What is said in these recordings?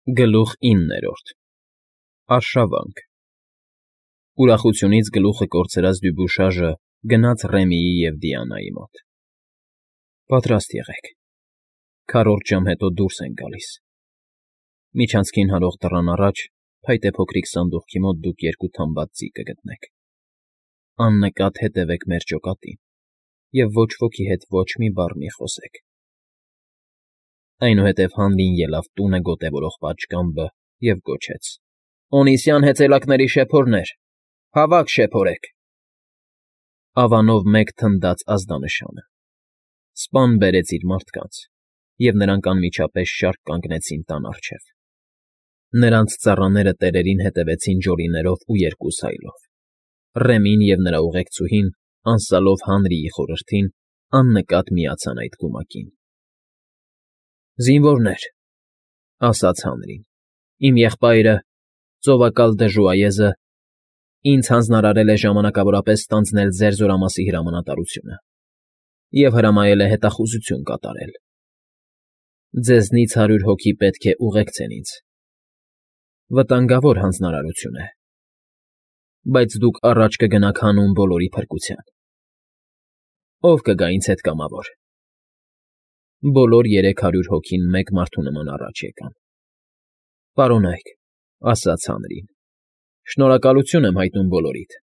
Գլուխ 9 Արշավանք Ուրախությունից գլուխը կորցրած Դյուբուշաժը գնաց Ռեմիի և Դիանայի մոտ։ Պատրաստ եղեք, քառորդ ժամ հետո դուրս ենք գալիս։ Միջանցքին հարող դռան առաջ, փայտե փոքրիկ սանդուղքի մոտ դուք երկու թամբած ձի կգտնեք։ Աննկատ հետևեք մեր ջոկատին և ոչ ոքի հետ ոչ մի բառ մի խոսեք։ Այնուհետև Հանրին ելավ տունը գոտևորող պատշգամբը և գոչեց. «Օնիսյան հեծելակների շեփորներ, հավաք շեփորեք»։ Ավանով մեկ թնդաց ազդանշանը։ Սպան բերեց իր մարդկանց, և նրանք անմիջապես շարք կանգնեցին տան առջև։ Նրանց ծառաները տերերին հետևեցին ջորիներով ու երկուսայլով։ Ռեմին և նրա ուղեկցուհին, անսալով Հանրիի խորհրդին, աննկատ միացան այդ կումակին։ «Զինվորներ,֊ ասաց Հանրին,֊ իմ եղբայրը, ծովակալ Դժուայեզը, ինձ հանձնարարել է ժամանակավորապես ստանձնել ձեր զորամասի հրամանատարությունը և հրամայել է հետախուզություն կատարել։ Ձեզնից 100 հոգի պետք է ուղեկցեն ինձ։ Վտանգավոր հանձնարարություն է, բայց դուք առաջ կգնաք հանուն բոլորի փրկության։ Ո՞վ կգա ինձ հետ կամավոր»։ Բոլոր 300 հոգին մեկ մարդու նման առաջ եկան։ «Պարոնայք,֊ ասաց Հանրին,֊ շնորհակալություն եմ հայտնում բոլորիդ։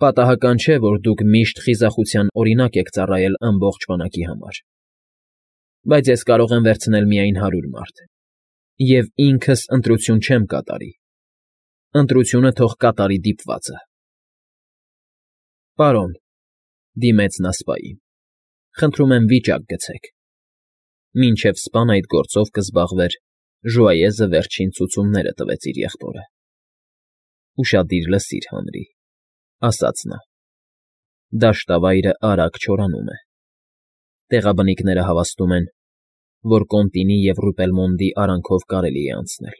Պատահական չէ, որ դուք միշտ խիզախության օրինակ եք ծառայել ամբողջ բանակի համար, բայց ես կարող եմ վերցնել միայն 100 մարդ, և ինքս ընտրություն չեմ կատարի, ընտրությունը թող կատարի դիպվածը»։ «Պարոն,֊ դիմեց նա սպային,֊ խնդրում եմ վիճակ գցեք։ Մինչև սպան այդ գործով կզբաղվեր, Ժուայեզը վերջին ցուցումները տվեց իր եղբորը։ Ուշադիր լսիր, Հանրի,֊ ասաց նա,֊ դաշտավայրը արագ չորանում է։ Տեղաբնիկները հավաստում են, որ Կոնտինի և Ռուպելմոնդի արանքով կարելի է անցնել։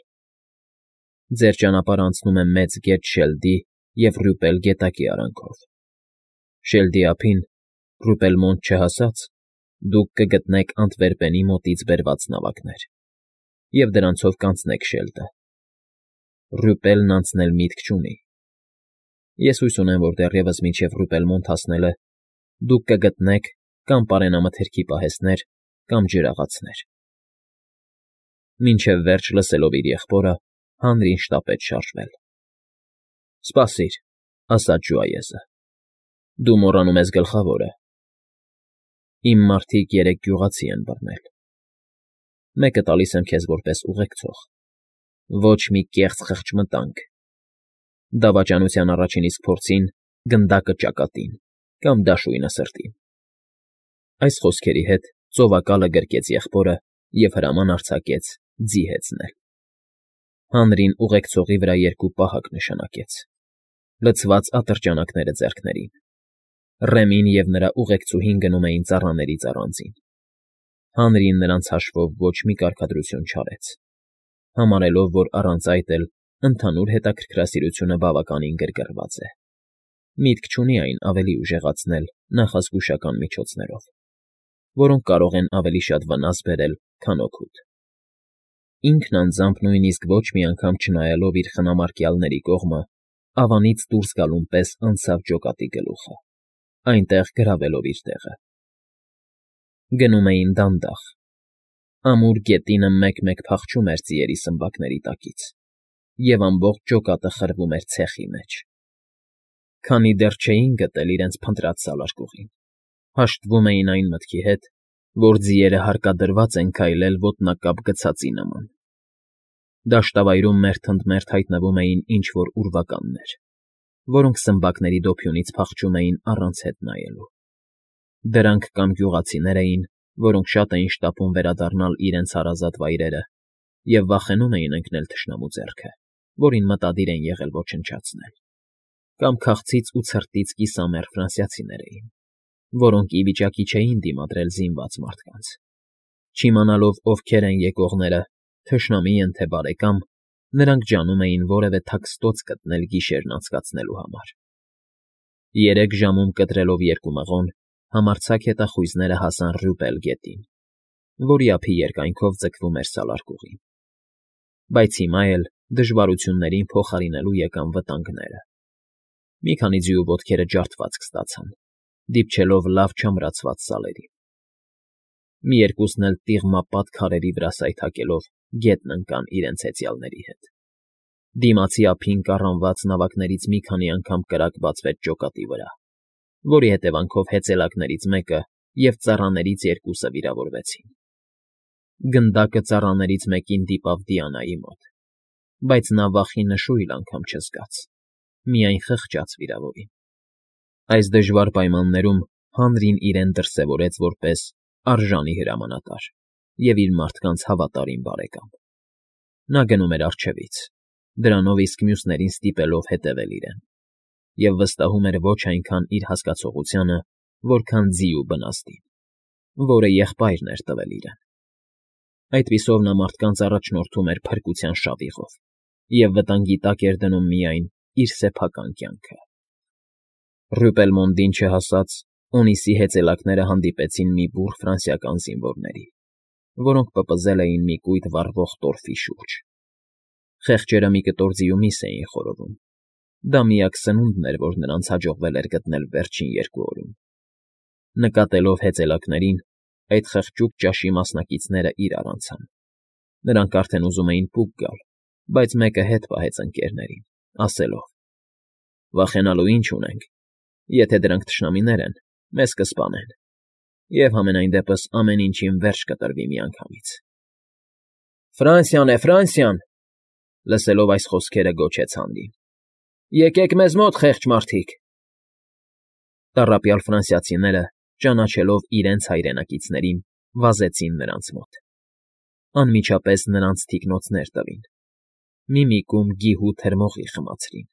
Ձեր ճանապարհն անցնում է Մեծ գետ Շելդի և Ռյուպել գետակի արանքով։ Շելդի ափին, Ռուպելմոնդ չհասած, դուք կգտնեք Անտվերպենի մոտից բերված նավակներ, և դրանցով կանցնեք Շելդը։ Ռյուպելն անցնել միտք չունի։ Ես հույս ունեմ, որ դեռևս մինչև Ռուպելմոնդ հասնելը դուք կգտնեք կամ պարենամթերքի պահեսներ, կամ ջրաղացներ։ Մինչև վերջ լսելով իր եղբորը, Հանրին շտապեց շարժվել։ «Սպասիր,֊ ասաց Ժուայեզը,֊ դու մոռանում ես գլխավորը։ Իմ մարդիկ 3 գյուղացի են բռնել։ Մեկը տալիս եմ քեզ որպես ուղեկցող։ Ոչ մի կեղծ խղճմտանք։ Դավաճանության առաջին իսկ փորձին գնդակը ճակատին կամ դաշույնը սրտին»։ Այս խոսքերի հետ ծովակալը գրկեց եղբորը և հրաման արձակեց ձի հեծնել։ Հանրին ուղեկցողի վրա 2 պահակ նշանակեց, լցված ատրճանակները ձեռքներին։ Ռեմին և նրա ուղեկցուհին գնում էին ծառաներից առանձին։ Հանրին նրանց հաշվով ոչ մի կարգադրություն չարեց, համարելով, որ առանց այդ էլ ընդհանուր հետաքրքրասիրությունը բավականին գրգռված է։ Միտք չունի այն ավելի ուժեղացնել նախազգուշական միջոցներով, որոնք կարող են ավելի շատ վնաս բերել, քան օգուտ։ Ինքն անձամբ նույնիսկ ոչ մի անգամ չնայելով իր խնամարկյալների կողմը, ավանից դուրս գալուն պես անցավ ջոկատի գլուխը, այնտեղ գրավելով իր տեղը։ Գնում էին դանդաղ։ Ամուր գետինը մեկ-մեկ փախչում էր ձիերի սմբակների տակից, և ամբողջ ջոկատը խրվում էր ցեխի մեջ։ Քանի դեռ չէին գտել իրենց փնտրած սալարկուղին, հաշտվում էին այն մտքի հետ, որ ձիերը հարկադրված են քայլել ոտնակապ գցածի նման։ Դաշտավայրում մերթընդմերթ հայտնվում էին ինչ֊որ ուրվականներ, որոնք սմբակների դոփյունից փախչում էին առանց հետ նայելու։ Դրանք կամ գյուղացիներ էին, որոնք շատ էին շտապում վերադառնալ իրենց հարազատ վայրերը և վախենում էին ընկնել թշնամու ձեռքը, որին մտադիր են եղել ոչնչացնել, կամ քաղցից ու ցրտից կիսամեռ ֆրանսիացիներ էին, որոնք ի վիճակի չէին դիմադրել զինված մարդկանց։ Չիմանալով ովքեր են եկողները, թշնամի են թե բարեկամ, նրանք ջանում էին որևէ թաքստոց գտնել գիշերն անցկացնելու համար։ 3 ժամում կտրելով 2 մղոն, համարձակ հետախույզները հասան Ռյուպել գետին, որի ափի երկայնքով ձգվում էր սալարկուղին։ բայց հիմա էլ դժվարություններին փոխարինելու եկան վտանգները։ Մի քանի ձիու ոտքերը ջարդվածք ստացան, դիպչելով լավ չամրացված սալերին։ Մի երկուսն էլ տიღմապատ քարերի վրա սայթաքելով գետն ընկան իրենց հեծյալների հետ։ Դիմացի ափին կառանված նավակներից մի քանի անգամ կրակ բացվեց ջոկատի վրա, որի հետևանքով հեծելակներից մեկը և ծառաներից երկուսը վիրավորվեցին։ Գնդակը ծառաներից մեկին դիպավ Դիանայի մոտ, բայց նա վախի նշույլ անգամ չզգաց, միայն խղճաց վիրավորին։ Այս դժվար պայմաններում Հանրին իրեն դրսևորեց որպես արժանի հրամանատար և իր մարդկանց հավատարիմ բարեկամ։ Նա գնում էր առջևից, դրանով իսկ մյուսներին ստիպելով հետևել իրեն, և վստահում էր ոչ այնքան իր հասկացողությանը, որքան ձիու բնաստին, որը եղբայրն էր տվել իրեն։ Այդպիսով նա մարդկանց առաջնորդում էր փրկության շավիղով և վտանգի տակ էր դնում միայն իր սեփական կյանքը։ Ռյուպելմոնդին չհասած Օնիսի հեծելակները հանդիպեցին մի բուռ ֆրանսիական զինվորների, որոնք պպզել էին մի կույտ վառվող տորֆի շուրջ։ Խեղճերը մի կտոր ձիու միս էին խորովում։ Դա միակ սնունդն էր, որ նրանց հաջողվել էր գտնել վերջին 2 օրում։ Նկատելով հեծելակներին, այդ խղճուկ ճաշի մասնակիցները իրար անցան։ Նրանք արդեն ուզում էին պուկ գալ, բայց մեկը հետ պահեց ընկերներին, ասելով. «Վախենալու ինչ ունենք, եթե դրանք թշնամիներ են, մեզ կսպանեն, և համենայն դեպս ամեն ինչին վերջ կտրվի միանգամից»։ «Ֆրանսիան է, Ֆրանսիան», լսելով այս խոսքերը գոչեց Հանրին։ «Եկեք մեզ մոտ, խեղճ մարդիկ»։ Տառապյալ ֆրանսիացիները, ճանաչելով իրենց հայրենակիցներին, վազեցին նրանց մոտ։ Անմիջապես նրանց թիկնոցներ տվին, միմիկում գիհու թրմողի խմացրին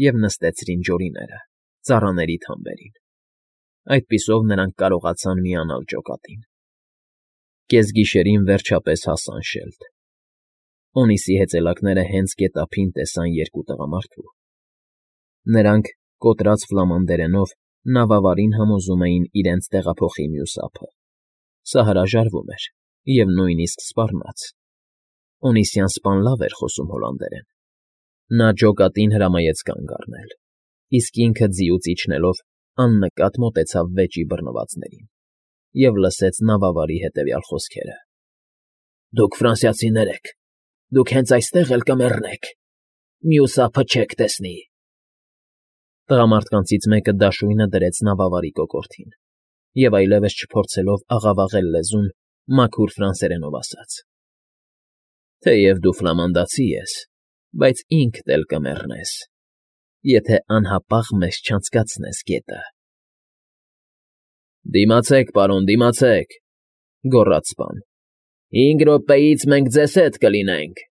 և նստեցրին ջորիները, ծառաների թամբերին։ Այդպիսով նրանք կարողացան միանալ ջոկատին։ Կեսգիշերին վերջապես հասան շելդ։ Օնիսի հեծելակները հենց գետափին տեսան 2 տղամարդու։ Նրանք, կոտրած ֆլամանդերենով, նավավարին համոզում էին իրենց տեղափոխի մյուս ափը։ Սա հրաժարվում էր, և նույնիսկ սպառնաց։ Օնիսյան սպան լավ էր խոսում հոլանդերեն։ Նա ջոկատին հրամայեց կանգ առնել, իսկ ինքը ձիուց իջնելով աննկատ մոտեցավ վեճի բռնվածներին և լսեց նավավարի հետևյալ խոսքերը. «Դուք ֆրանսիացիներ եք, դուք հենց այստեղ էլ կմեռնեք, մյուս ափը չեք տեսնի»։ Տղամարդկանցից մեկը դաշույնը դրեց նավավարի կոկորդին և այլևս չփորձելով աղավաղել լեզուն, մաքուր ֆրանսերենով ասաց. «Թեև դու ֆլամանդացի ես, բայց ինքդ էլ կմեռնես, եթե անհապաղ մեզ չանցկացնես գետը»։ «Դիմացեք, պարոն, դիմացեք», գոռաց սպան։ «5 րոպեից մենք ձեզ հետ կլինենք»։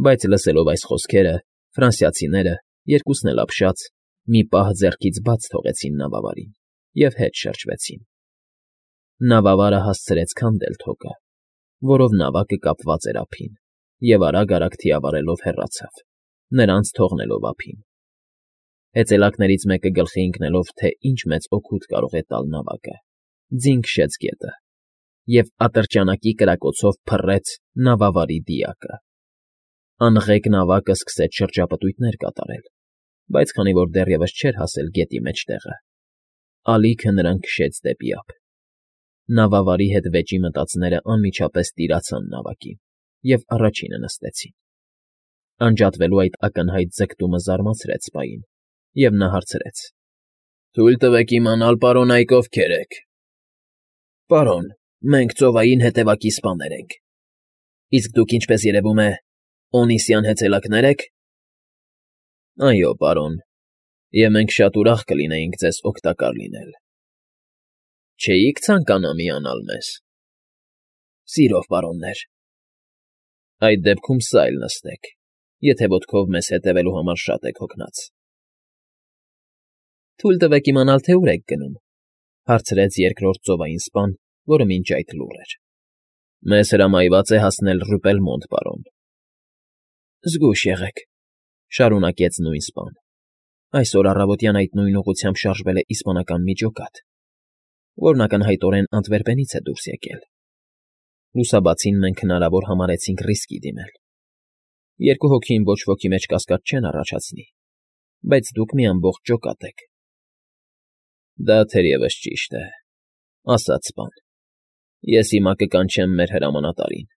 Բայց լսելով այս խոսքերը, ֆրանսիացիները, երկուսն էլ ապշած, մի պահ ձեռքից բաց թողեցին նավավարին և հետ շրջվեցին։ Նավավարը հասցրեց քանդել թոկը, որով նավակը կապված էր ափին, և արագ֊արագ թիավարելով հեռացավ, նրանց թողնելով ափին։ Հեծելակներից մեկը գլխի ընկնելով, թե ինչ մեծ օգուտ կարող է տալ նավակը, ձին քշեց գետը և ատրճանակի կրակոցով փռեց նավավարի դիակը։ Անղեկ նավակը սկսեց շրջապտույտներ կատարել, բայց քանի որ դեռևս չէր հասել գետի մեջտեղը, ալիքը նրան քշեց դեպի ափ։ Նավավարի հետ վեճի մտածները անմիջապես տիրացան նավակին և առաջինը նստեցին։ Անջատվելու այդ ակնհայտ ձգտումը զարմացրեց սպային, և նա հարցրեց. «Թույլ տվեք իմանալ, պարոն, այք ովքեր եք»։ «Պարոն, մենք ծովային հետևակի սպաներ ենք։ Իսկ դուք, ինչպես երևում է, Օնիսյան հեծելակնե՞ր եք»։ «Այո, պարոն, և մենք շատ ուրախ կլինեինք ձեզ օգտակար լինել»։ «Չէի՞ք ցանկանա միանալ մեզ»։ «Սիրով, պարոններ»։ «Այդ դեպքում սա էլ նստեք, եթե ոտքով մեզ հետևելու համար շատ եք հոգնած»։ «Թույլ տվեք իմանալ, թե ուր եք գնում», հարցրեց երկրորդ ծովային սպան, որը մինչ այդ լուռ էր։ «Մեզ հրամայված է հասնել Ռյուպելմոնդ, պարոն»։ «Զգույշ եղեք», շարունակեց նույն սպան։ «Այսօր առավոտյան այդ նույն ուղղությամբ շարժվել է իսպանական մի ջոկատ, որն ակնհայտորեն Անտվերպենից է դուրս եկել։ Լուսաբացին մենք հնարավոր համարեցինք ռիսկի դիմել։ Երկու հոգին ոչ ոքի մեջ կասկած չեն առաջացնի, բայց դուք մի ամբողջ ջոկատ եք։ ֊ Դա թերևս ճիշտ է,֊ ասաց սպան։֊ Ես հիմա կկանչեմ մեր հրամանատարին։